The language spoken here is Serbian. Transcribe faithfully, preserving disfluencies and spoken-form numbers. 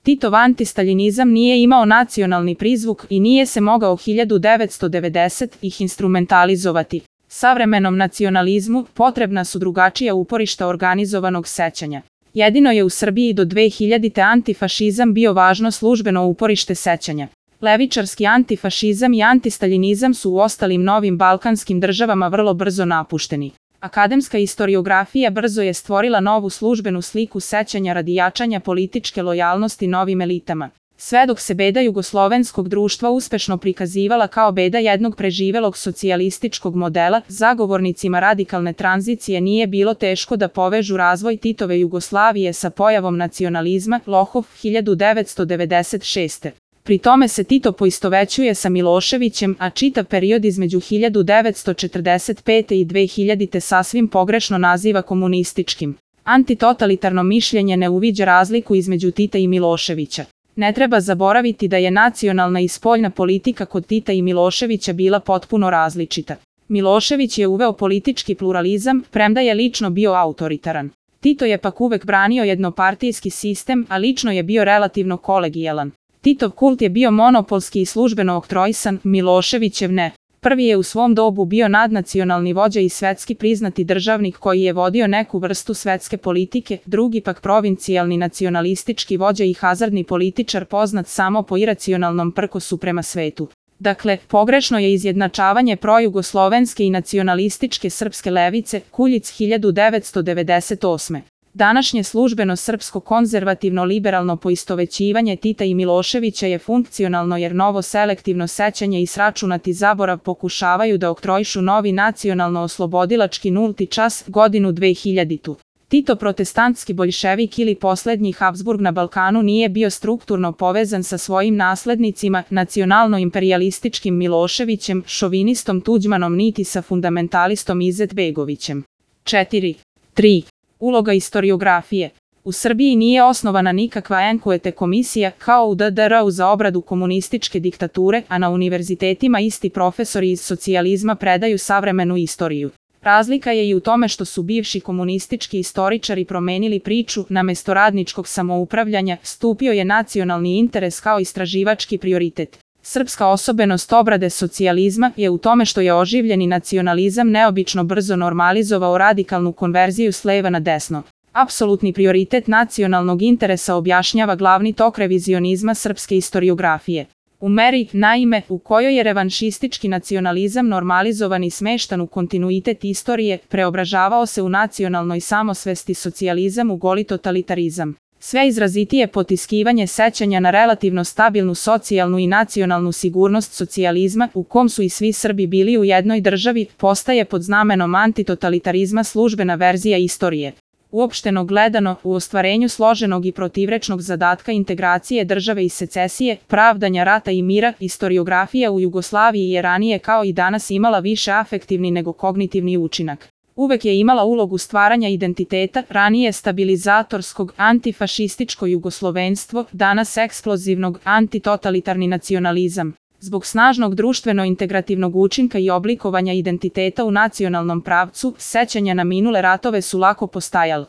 Titov antistaljinizam nije imao nacionalni prizvuk i nije se mogao hiljadu devetsto devedesetih instrumentalizovati. Savremenom nacionalizmu potrebna su drugačija uporišta organizovanog sećanja. Jedino je u Srbiji do dve hiljadite antifašizam bio važno službeno uporište sećanja. Levičarski antifašizam i antistaljinizam su u ostalim novim balkanskim državama vrlo brzo napušteni. Akademska istoriografija brzo je stvorila novu službenu sliku sećanja radi jačanja političke lojalnosti novim elitama. Sve dok se beda jugoslovenskog društva uspešno prikazivala kao beda jednog preživelog socijalističkog modela, zagovornicima radikalne tranzicije nije bilo teško da povežu razvoj Titove Jugoslavije sa pojavom nacionalizma, Lohov, hiljadu devetsto devedeset šeste. Pri tome se Tito poistovećuje sa Miloševićem, a čitav period između hiljadu devetsto četrdeset pete i dve hiljadite sasvim pogrešno naziva komunističkim. Antitotalitarno mišljenje ne uviđa razliku između Tita i Miloševića. Ne treba zaboraviti da je nacionalna i spoljna politika kod Tita i Miloševića bila potpuno različita. Milošević je uveo politički pluralizam, premda je lično bio autoritaran. Tito je pak uvek branio jednopartijski sistem, a lično je bio relativno kolegijalan. Titov kult je bio monopolski i službeno oktroisan, Miloševićev ne. Prvi je u svom dobu bio nadnacionalni vođa i svetski priznati državnik koji je vodio neku vrstu svetske politike, drugi pak provincijalni nacionalistički vođa i hazardni političar poznat samo po iracionalnom prkosu prema svetu. Dakle, pogrešno je izjednačavanje projugoslovenske i nacionalističke srpske levice, Kuljic hiljadu devetsto devedeset osme. Današnje službeno srpsko konzervativno-liberalno poistovećivanje Tita i Miloševića je funkcionalno jer novo selektivno sećanje i sračunati zaborav pokušavaju da oktroišu novi nacionalno-oslobodilački nulti čas, godinu dve hiljaditu. Tito protestantski boljševik ili poslednji Habsburg na Balkanu nije bio strukturno povezan sa svojim naslednicima, nacionalno-imperialističkim Miloševićem, šovinistom Tuđmanom niti sa fundamentalistom Izetbegovićem. četiri. tri. Uloga istoriografije. U Srbiji nije osnovana nikakva enkuete komisija kao u de de er u za obradu komunističke diktature, a na univerzitetima isti profesori iz socijalizma predaju savremenu istoriju. Razlika je i u tome što su bivši komunistički istoričari promenili priču, namesto radničkog samoupravljanja, stupio je nacionalni interes kao istraživački prioritet. Srpska osobenost obrade socijalizma je u tome što je oživljeni nacionalizam neobično brzo normalizovao radikalnu konverziju s leva na desno. Apsolutni prioritet nacionalnog interesa objašnjava glavni tok revizionizma srpske istoriografije. U meri, naime, u kojoj je revanšistički nacionalizam normalizovan i smeštan u kontinuitet istorije, preobražavao se u nacionalnoj samosvesti socijalizam u goli totalitarizam. Sve izrazitije potiskivanje sećanja na relativno stabilnu socijalnu i nacionalnu sigurnost socijalizma, u kom su i svi Srbi bili u jednoj državi, postaje pod znamenom antitotalitarizma službena verzija istorije. Uopšteno gledano, u ostvarenju složenog i protivrečnog zadatka integracije države i secesije, pravdanja rata i mira, istoriografija u Jugoslaviji je ranije kao i danas imala više afektivni nego kognitivni učinak. Uvek je imala ulogu stvaranja identiteta, ranije stabilizatorskog, antifašističko jugoslovenstvo, danas eksplozivnog, antitotalitarni nacionalizam. Zbog snažnog društveno-integrativnog učinka i oblikovanja identiteta u nacionalnom pravcu, sećanja na minule ratove su lako postajala.